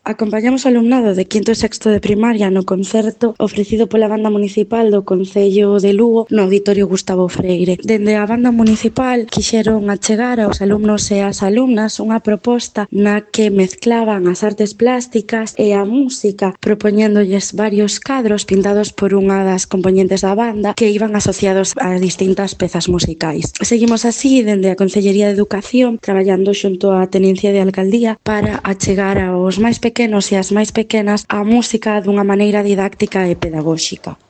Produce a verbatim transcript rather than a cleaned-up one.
Acompañamos o alumnado de quinto e sexto de primaria no concerto ofrecido pola Banda Municipal do Concello de Lugo no Auditorio Gustavo Freire. Dende a Banda Municipal quixeron achegar aos alumnos e ás alumnas unha proposta na que mezclaban as artes plásticas e a música, propoñéndolles varios cadros pintados por unha das compoñentes da banda que iban asociados a distintas pezas musicais. Seguimos así dende a Concellería de Educación traballando xunto á Tenencia de Alcaldía para achegar aos máis pequenos e as máis pequenas a música dunha maneira didáctica e pedagóxica.